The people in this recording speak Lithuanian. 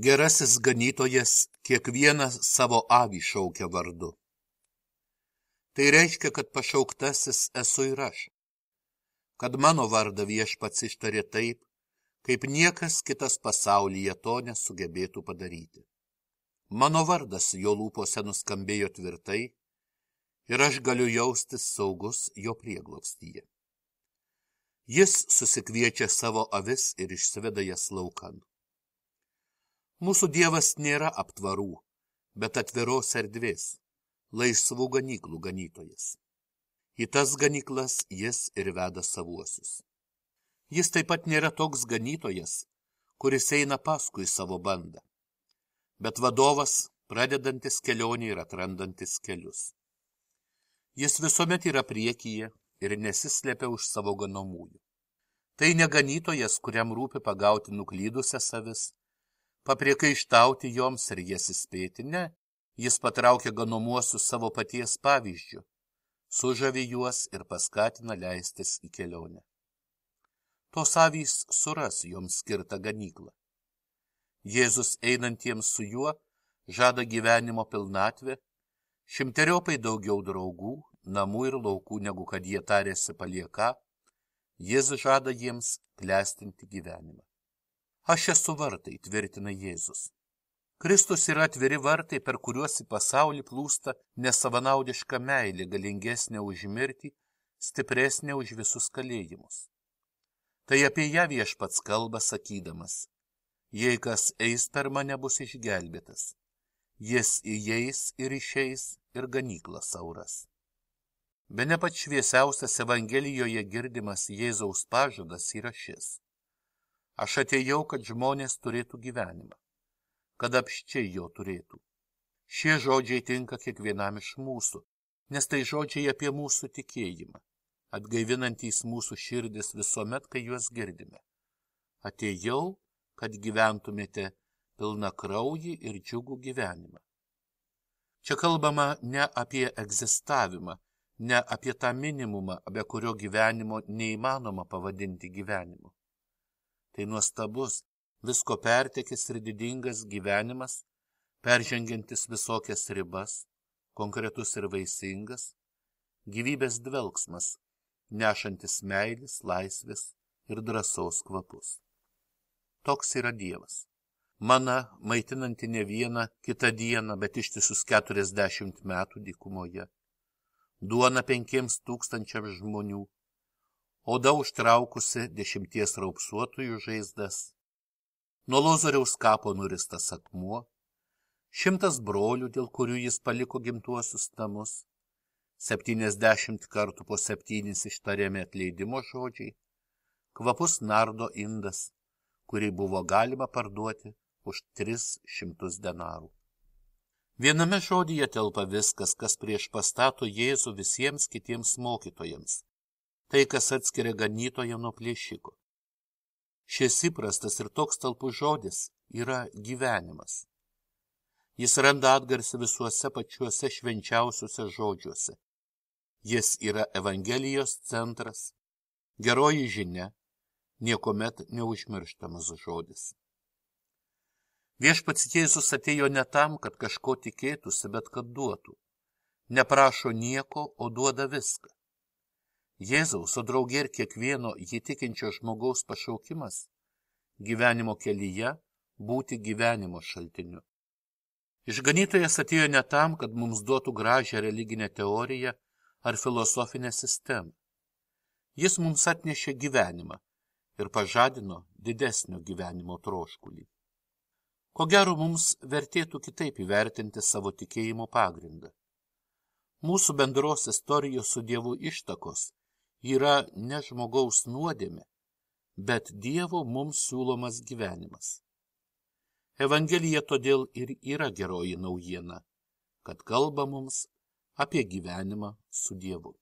Gerasis ganytojas kiekvieną savo avį šaukia vardu. Tai reiškia, kad pašauktasis esu ir aš, kad mano vardą viešpats ištarė taip, kaip niekas kitas pasaulyje to nesugebėtų padaryti. Mano vardas jo lūpose nuskambėjo tvirtai ir aš galiu jaustis saugus jo prieglobstyje. Jis susikviečia savo avis ir išsiveda jas laukan. Mūsų Dievas nėra aptvarų, bet atviros erdvės, laisvų ganyklų ganytojas. Į tas ganyklas jis ir veda savuosius. Jis taip pat nėra toks ganytojas, kuris eina paskui savo bandą, bet vadovas, pradedantis kelionį ir atrandantis kelius. Jis visuomet yra priekyje ir nesislepia už savo ganomųjų. Tai ne ganytojas, kuriam rūpi pagauti nuklydusias avis, papriekaištauti joms ir jas įspėti, ne, jis patraukia ganomuosius savo paties pavyzdžiu, sužavi juos ir paskatina leistis į kelionę. Tos avys suras joms skirtą ganyklą. Jėzus einantiems su juo žada gyvenimo pilnatvę, šimteriopai daugiau draugų, namų ir laukų, negu kad jie tarėsi palieką, jis žada jiems klestinti gyvenimą. Aš esu vartai, tvirtina Jėzus. Kristus yra atviri vartai, per kuriuos į pasaulį plūsta nesavanaudiška meilė, galingesnė už mirtį, stipresnė už visus kalėjimus. Tai apie ją viešpats kalba sakydamas, jei kas eis per mane bus išgelbėtas, jis įeis ir išeis ir ganykla sauras. Bene pats šviesiausias Evangelijoje girdimas Jėzaus pažadas yra šis. Aš atėjau, kad žmonės turėtų gyvenimą, kad apščiai jo turėtų. Šie žodžiai tinka kiekvienam iš mūsų, nes tai žodžiai apie mūsų tikėjimą, atgaivinantys mūsų širdis visuomet, kai juos girdime. Atėjau, kad gyventumėte pilna kraujį ir džiugų gyvenimą. Čia kalbama ne apie egzistavimą, ne apie tą minimumą, be kurio gyvenimo neįmanoma pavadinti gyvenimu. Tai nuostabus, visko pertekęs ir didingas gyvenimas, peržengiantis visokias ribas, konkretus ir vaisingas, gyvybės dvelksmas, nešantis meilės, laisvės ir drąsos kvapus. Toks yra Dievas. Mana maitinanti ne vieną kitą dieną, bet ištisus 40 metų dykumoje. Duona 5,000 žmonių. Oda užtraukusi 10 raupsuotųjų žaizdas, nuo Lozoriaus kapo nuristas akmuo, 100 brolių, dėl kurių jis paliko gimtuosius namus, 70 kartų po 7 ištariami atleidimo žodžiai, kvapus nardo indas, kurį buvo galima parduoti už 300 denarų. Viename žodyje telpa viskas, kas priešpastato Jėzų visiems kitiems mokytojams. Tai, kas atskiria ganytoją nuo plėšiko. Šis įprastas ir toks talpus žodis yra gyvenimas. Jis randa atgarsį visuose pačiuose švenčiausiuose žodžiuose. Jis yra Evangelijos centras, geroji žinia, niekuomet neužmirštamas žodis. Viešpats Jėzus atėjo ne tam, kad kažko tikėtųsi, bet kad duotų. Neprašo nieko, o duoda viską. Jėzaus, o draugė ir kiekvieno jį tikinčio žmogaus pašaukimas gyvenimo kelyje būti gyvenimo šaltiniu. Išganytojas atėjo ne tam, kad mums duotų gražią religinę teoriją ar filosofinę sistemą. Jis mums atnešė gyvenimą ir pažadino didesnio gyvenimo troškulį. Ko gero mums vertėtų kitaip įvertinti savo tikėjimo pagrindą. Mūsų bendros istorijos su Dievu ištakos yra ne žmogaus nuodėmė, bet Dievo mums siūlomas gyvenimas. Evangelija todėl ir yra geroji naujiena, kad kalba mums apie gyvenimą su Dievu.